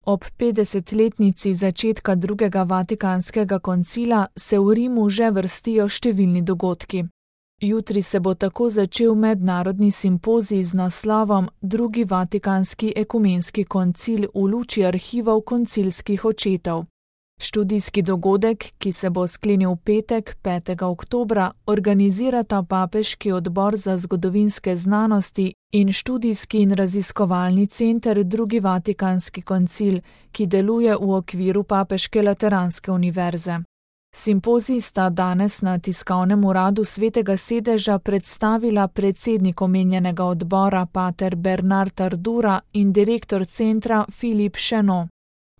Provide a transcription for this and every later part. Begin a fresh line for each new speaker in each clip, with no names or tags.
Ob 50-letnici začetka drugega Vatikanskega koncila se v Rimu že vrstijo številni dogodki. Jutri se bo tako začel mednarodni simpozij z naslovom Drugi Vatikanski ekumenski koncil v luči arhivov koncilskih očetov. Študijski dogodek, ki se bo sklenil v petek, 5. oktobra, organizirata Papeški odbor za zgodovinske znanosti in Študijski in raziskovalni center Drugi Vatikanski koncil, ki deluje v okviru Papeške lateranske univerze. Simpozij sta danes na tiskovnem uradu Svetega sedeža predstavila predsednik omenjenega odbora pater Bernard Ardura in direktor centra Philippe Chenot.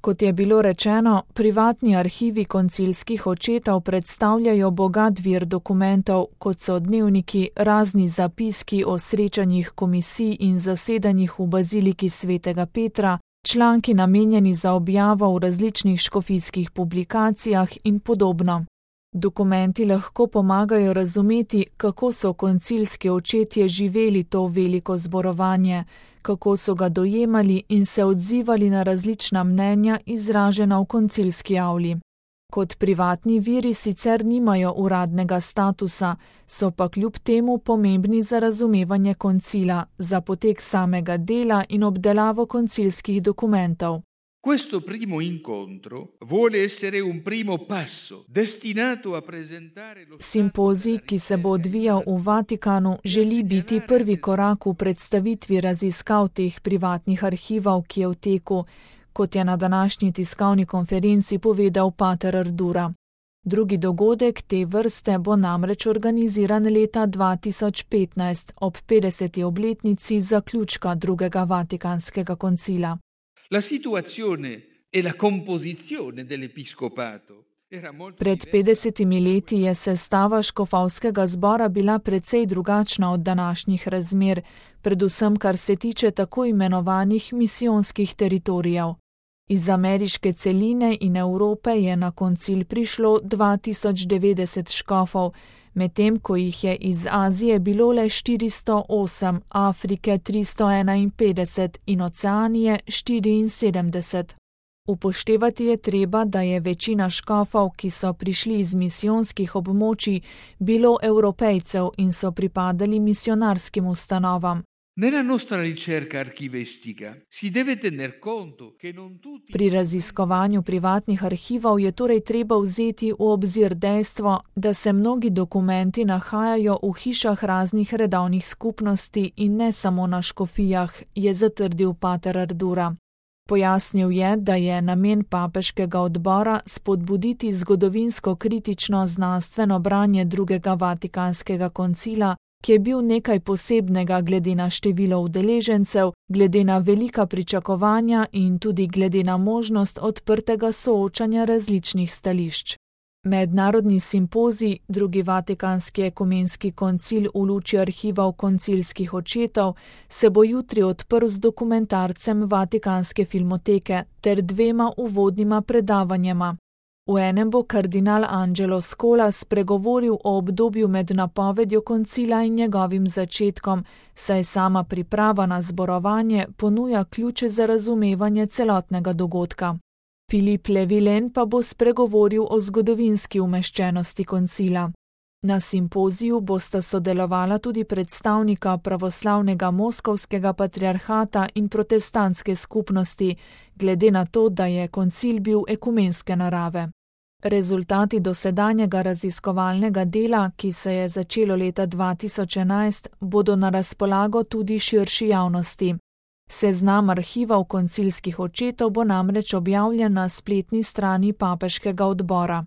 Kot je bilo rečeno, privatni arhivi koncilskih očetov predstavljajo bogat vir dokumentov, kot so dnevniki, razni zapiski o srečanjih komisij in zasedanjih v baziliki Svetega Petra, članki namenjeni za objavo v različnih škofijskih publikacijah in podobno. Dokumenti lahko pomagajo razumeti, kako so koncilski očetje živeli to veliko zborovanje, kako so ga dojemali in se odzivali na različna mnenja izražena v koncilski avli. Kot privatni viri sicer nimajo uradnega statusa, so pa kljub temu pomembni za razumevanje koncila, za potek samega dela in obdelavo koncilskih dokumentov.
Questo primo incontro vuole essere un primo passo destinato a presentare lo
Simpozij, ki se bo odvijal v Vatikanu, želi biti prvi korak v predstavitvi raziskav teh privatnih arhivov, ki je v teku, kot je na današnji tiskovni konferenci povedal pater Ardura. Drugi dogodek te vrste bo namreč organiziran leta 2015 ob 50. obletnici zaključka drugega Vatikanskega koncila.
La situazione e la composizione dell'episcopato era molto
Pred 50 leti je sestava škofovskega zbora bila precej drugačna od današnjih razmer, predvsem kar se tiče tako imenovanih misijonskih teritorijev. Iz ameriške celine in Evrope je na koncil prišlo 2090 škofov, medtem ko jih je iz Azije bilo le 408, Afrike 351 in Oceanije 74. Upoštevati je treba, da je večina škofov, ki so prišli iz misijonskih območij, bilo Evropejcev in so pripadali misionarskim ustanovam.
Nella nostra ricerca archivestica si deve tener conto che non tutti
Pri raziskovanju privatnih arhivov je torej treba vzeti v obzir dejstvo, da se mnogi dokumenti nahajajo v hišah raznih redovnih skupnosti in ne samo na škofijah, je zatrdil pater Ardura. Pojasnil je, da je namen papeškega odbora spodbuditi zgodovinsko kritično znanstveno branje drugega Vatikanskega koncila, ki je bil nekaj posebnega glede na število udeležencev, glede na velika pričakovanja in tudi glede na možnost odprtega soočanja različnih stališč. Mednarodni simpozij, drugi Vatikanski ekumenski koncil v luči arhivov koncilskih očetov, se bo jutri odprl z dokumentarcem Vatikanske filmoteke ter 2 uvodnima predavanjema. V enem bo kardinal Angelo Scola spregovoril o obdobju med napovedjo koncila in njegovim začetkom, saj sama priprava na zborovanje ponuja ključe za razumevanje celotnega dogodka. Philippe Levillain pa bo spregovoril o zgodovinski umeščenosti koncila. Na simpoziju bosta sodelovala tudi predstavnika pravoslavnega moskovskega patriarhata in protestantske skupnosti, glede na to, da je koncil bil ekumenske narave. Rezultati dosedanjega raziskovalnega dela, ki se je začelo leta 2011, bodo na razpolago tudi širši javnosti. Seznam arhivov koncilskih očetov bo namreč objavljen na spletni strani papeškega odbora.